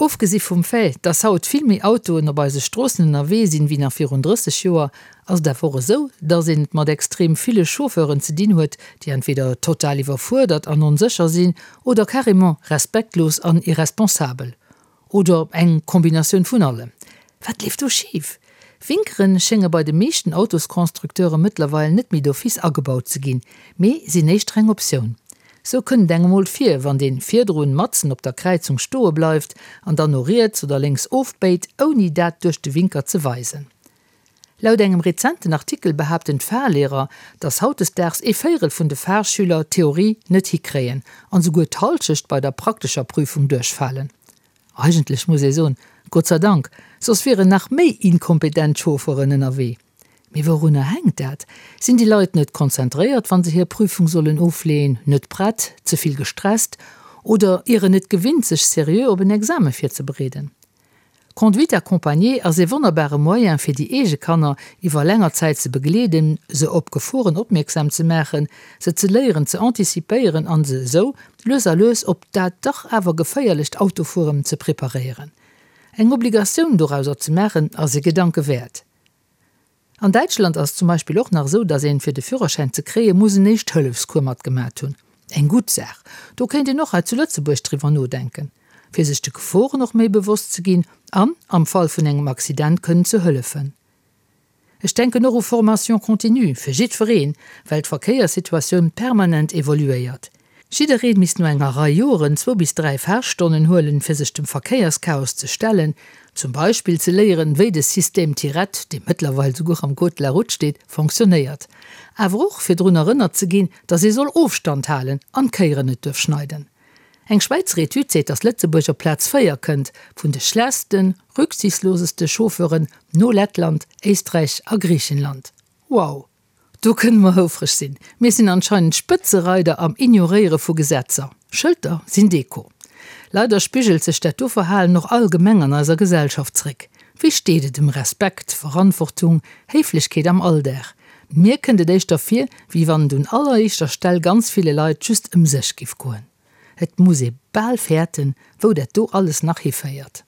Ofgesi vum Fait, dass haut vill méi Autoen op eise Stroossen ënnerwee sinn, wéi nach virun 30 Joer, ass et awer och esou, dass een et mat extrem ville Chauffeuren ze dinn huet, déi entweder total iwwerfuerdert an onsécher sinn oder carrément respektlos an irresponsabel. Oder eng Kombinatioun vun allem. Wat leeft do schif? Winkeren schénge bei de meeschten Autosconstructeure mëttlerweil net méi d'office agebaut ze ginn, mee sinn éischter eng Optioun. Sou kënnt et engem mol vir, wann deen virdrun matzen op der Kräizung stoe bleift an dann no riets oder lénks ofbéit, ouni dat duerch de Winker ze weisen. Laut engem rezenten Artikel behaapten d'Fahrlehrer, dass hautdesdaags ee Véirel vun de Fahrschüler d'Theorie net hikréien an souguer d'Halschecht bei der praktescher Prüfung duerchfalen. Eigentlech muss ee soen, Gott sei Dank, soss wieren nach méi inkompetent Chauffeuren ënnerwee. Mee wourunner hänkt dat? Sinn déi Leit net konzentréiert, wa se hir Prüfung sollen ofleeën, net prett, ze vill gestresst oder ieren net gewinnt, sech seriö op en Exame virzebereeden? Conduite accompagnée ass ee wonnerbare Moyen fir déi eege Kanner iwwer länger Zäit ze begleeden, se op Geforen opmierksam ze maachen, se ze léieren ze anticipéieren an se esou lues a lues op dat dach awer geféierlecht Autofueren ze preparéieren. Eng Obligatioun dorauser ze maachen ass ee Gedanke wäert. An Däitschland ass et zum Beispill och nach esou, dass een, fir de Führerschäin ze kréien, muss en Éischt-Hëllefscours matgemat hunn. Eng gutt Saach. Do kéint een och hei zu Lëtzebuerg driwwer nodenken, fir sech de Geforen och méi bewosst ze ginn an am Fall vun engem Accident kënnen ze hëllefen. Ech denken och u Formation continue fir jiddwereen, well d'Verkéierssituatioun permanent evoluéiert. Jiddereen misst no enger Rei Joeren zwou bis 3 Fahrstonnen huelen, fir sech dem Verkéierschaos ze stellen, zum Beispill ze léieren, wéi de Système Tirett, dee mëttlerweil souguer am Code de la Route steet, fonctionnéiert. Awer och fir drun erënnert ze ginn, dass ee soll Ofstand halen an d'Kéieren net duerf schneiden. Eng Schwäizer Etüd seet, dass Lëtzebuerg op Plaz 4 kënnt vun de schlechtsten, rücksichtsloseste Chauffeuren no Lettland, Éisträich a Griichenland. Wow! Do kënne mer houfreg sinn. Mir sinn anscheinend Spëtzereider am Ignoréiere vu Gesetzer. Schëlter sinn Deko. Leider spigelt sech dat do Verhalen och allgemeng an eiser Gesellschaft zréck. Wéi steet et ëm Respekt, Verantwortung, Héiflechkeet am Alldag? Mir kënnt et éischter vir, wéi wann et un alleréischter Stell ganz ville Leit just ëm sech giff goen. Et muss ee bal fäerten, wou dat do alles nach hiféiert.